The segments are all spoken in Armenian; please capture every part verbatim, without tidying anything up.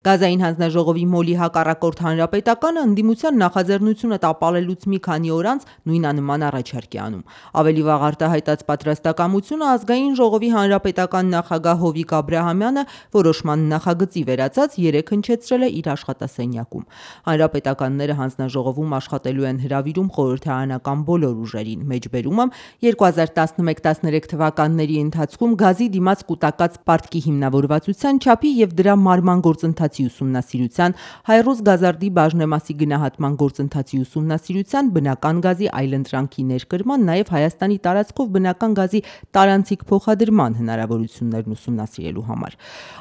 Գազային հանձնաժողովի մոլի հակառակորդ հանրապետականը ընդդիմության նախաձեռնությունը տապալելուց մի քանի օր անց նույնանման առաջարկ է անում։ Ավելի վաղ արտահայտած պատրաստակամությունը ազգային ժողովի հանրապետական նախագահ Հովիկ Աբրահամյանը որոշման նախագծի վերացած երեկ հնչեցրել է իր աշխատասենյակում։ Հանրապետականները հանձնաժողովում աշխատելու են հրավիրում խորհրդարանական բոլոր ուժերին։ Մեջբերումը երկու հազար տասնմեկ տասներեք թվականների ընթացքում գազի դիմաց կուտակած պարտքի հիմնավորվածության չափի եւ դրա մարման գործընթացի ուսումնասիրության, Հայռոզ գազարդի բաժնեմասի գնահատման գործընթացի ուսումնասիրության, բնական գազի այլընտրանքի ներկրման, նաև Հայաստանի տարածքով բնական գազի տարանցիկ փոխադրման հնարավորություններն ուսումնասիրելու համար։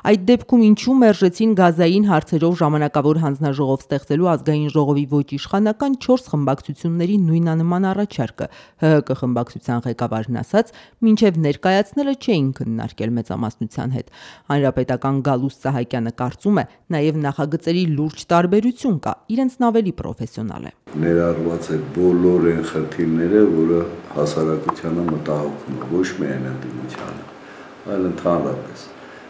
Այդ դեպքում ինչու մերժեցին գազային հարցերով ժամանակավոր հանձնաժողով ստեղծելու ազգային ժողովի ոչ իշխանական չորս խմբակցությունների նույնանման առաջարկը, ՀՀԿ խմբակցության ղեկավարն ասաց, մինչև ներկայացնելը չէին քննարկել մեծամասնության հետ։ Հանրապետական Գալուստ Սահակյանը կարծում է, նաև նախագծերի լուրջ տարբերություն կա, իրենցն ավելի պրոֆեսիոնալ է։ Ներառված է բոլոր այն խնդիրները, որը հասարակությանը մտահոգում է, ոչ միայն ընդդիմությանը, այլ ընդհանրապես։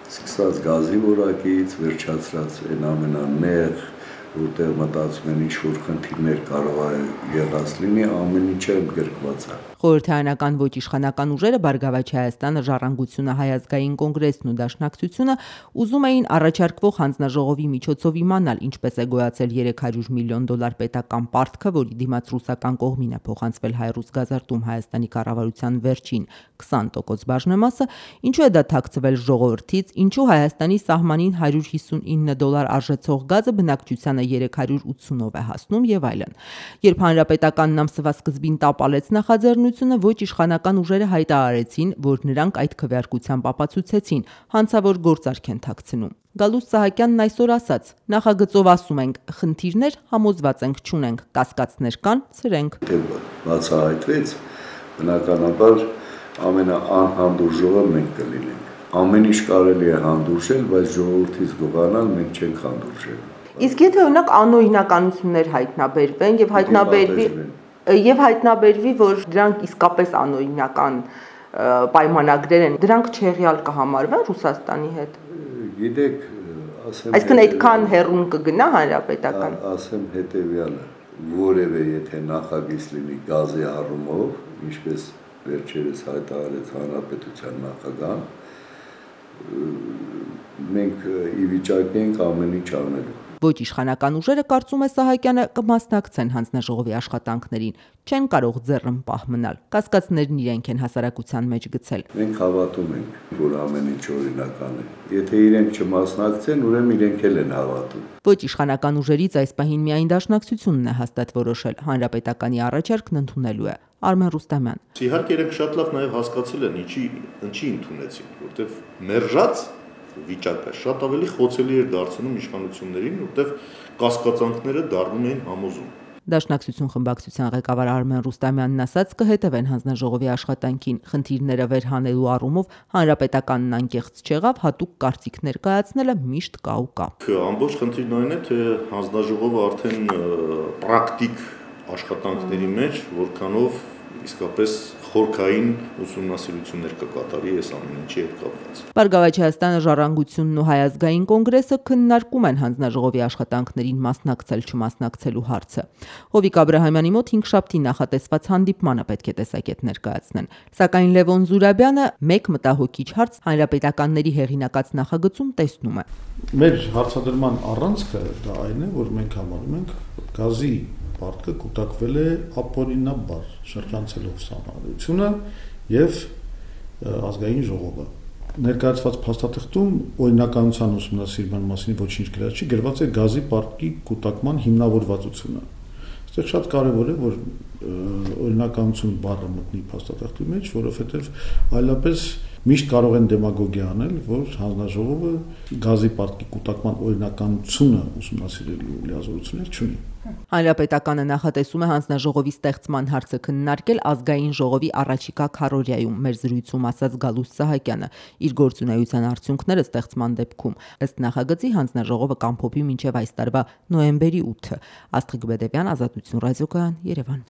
Սկսած գազի որակից, վերջացրած այն ամենանեղ, որտեղ մտածում են ինչ-որ խնդիրներ կարող է եղած լինի, ամեն ինչը ընդգրկված է։ Խորհրդարանական ոչ իշխանական ուժերը Բարգավաճ Հայաստանը, Ժառանգությունը, Հայ ազգային կոնգրեսն ու Դաշնակցությունը ուզում էին առաջարկվող հանձնաժողովի միջոցով իմանալ ինչպես է գոյացել երեք հարյուր միլիոն դոլար պետական պարտքը, որի դիմաց ռուսական կողմին է փոխանցվել Հայռոզ գազարդում Հայաստանի կառավարության վերջին քսան տոկոս բաժնեմասը, ինչու է դա թաքցվել ժողովրդից, ինչու Հայաստանի սահմանին հարյուր հիսունինը դոլար արժեցող գազը բնակչությանը երեք հարյուր ութսունով է հասնում եւ այլն։ Երբ հանրապետականն ամսվա սկզբին տապալեց նախաձեռնությունը, ոչ իշխանական ուժերը հայտարարեցին, որ նրանք այդ քվեարկությամբ ապացուցեցին, հանցավոր գործարք են թաքցնում։ Գալուստ Սահակյանն այսօր ասաց. նախագծով ասում ենք, խնդիրներ համոզված ենք չունենք, կասկածներ կան, սրենք։ Բացահայտվեց, բնականաբար ամենաանհանդուրժողը մենք կլինենք։ Ամեն ինչ կարելի է հանդուրժել, բայց ժողովրդից գողանալ մենք չենք հանդուրժել։ Իսկ եթե օրինակ անօրինականություններ հայտնաբերվեն եւ հայտնաբերվի եւ հայտնաբերվի, որ դրանք իսկապես անօրինական պայմանագրեր են, դրանք չեղյալ կհամարվեն Ռուսաստանի հետ։ Գիտեք, ասեմ, այսինքն այդքան հեռուն կգնա հանրապետական։ Ասեմ հետեւյալը, որևէ եթե նախագիծ լինի գազի առումով, ինչպես վերջերս հայտարարեց հանրապետության նախագահան, մենք ի վիճակի ենք ամեն ինչ անելու։ Ոչ իշխանական ուժերը, կարծում է Սահակյանը, կմասնակցեն հանձնաժողովի աշխատանքներին, չեն կարող ձեռնպահ մնալ, կասկածներն իրենք են հասարակության մեջ գցել։ Մենք հավատում ենք, որ ամեն ինչ օրինական է։ Եթե իրենք չմասնակցեն, ուրեմն իրենք էլ են հավատում։ Ոչ իշխանական ուժերից այս պահին միայն Դաշնակցությունն է հաստատ որոշել, հանրապետականի առաջարկն ընդունելու է։ Արմեն Ռուստամյան։ Իհարկե իրենք շատ լավ նաև հասկացել են, ինչի ինչի ընդունեցին, որտեվ մերժած վիճակը շատ ավելի խոցելի էր դարձնում իշխանություններին, որտեղ կասկածանքները դառնում էին համոզում։ Դաշնակցություն խմբակցության ղեկավար Արմեն Ռուստամյանն ասաց կհետևեն հանձնաժողովի աշխատանքին, խնդիրները վերհանելու առումով հանրապետականն անկեղծ չեղավ, հատուկ կարծիք ներկայացնելը միշտ կա ու կա։ Ամբողջ խնդիրն այն է, թե հանձնաժողովը արդեն պրակտիկ աշխատանքների մեջ, որքանով իսկապես խորքային ուսումնասիրություններ կկատարի այս ամեն ինչի հետ կապված։ Բարգավաճ Հայաստանը, Ժառանգությունն ու Հայ ազգային կոնգրեսը քննարկում են հանձնաժողովի աշխատանքներին մասնակցել չմասնակցելու հարցը։ Հովիկ Աբրահամյանի մոտ հինգշաբթի նախատեսված հանդիպմանը պետք է տեսակետ ներկայացնեն։ Սակայն Լևոն Զուրաբյանը մեկ մտահոգիչ հարց հանրապետականների հեղինակած նախագծում տեսնում է։ Մեր հարցադրման առանցքը դա այն է, որ մենք համարում ենք գազի պարտքը կուտակվել է ապօրինաբար, շրջանցելով սահմանադրությունը եւ ազգային ժողովը։ Ներկայացված փաստաթղթում օրինականության ուսումնասիրման մասին ոչինչ գրած չի, գրված է գազի պարտքի կուտակման հիմնավորվածությունը։ Այստեղ շատ կարևոր է, որ օրինականություն բառը մտնի փաստաթղթի մեջ, որովհետեւ այլապես միշտ կարող են դեմագոգիա անել, որ հանձնաժողովը գազի պարտքի կուտակման օրինականությունը ուսումնասիրելու լիազորություններ չունի։ Հանրապետականը նախատեսում է հանձնաժողովի ստեղծման հարցը քննարկել ազգային ժողովի առաջիկա քառօրյայում, մեր զրույցում ասաց Գալուստ Սահակյանը, իր գործունեության արդյունքները ստեղծման դեպքում։ Ըստ նախագծի հանձնաժողովը կամփոփի մինչև այս տարվա նոյեմբերի ութը։ Աստղիկ Բեդևյան, Ազատություն ռադիոկայան, Երևան։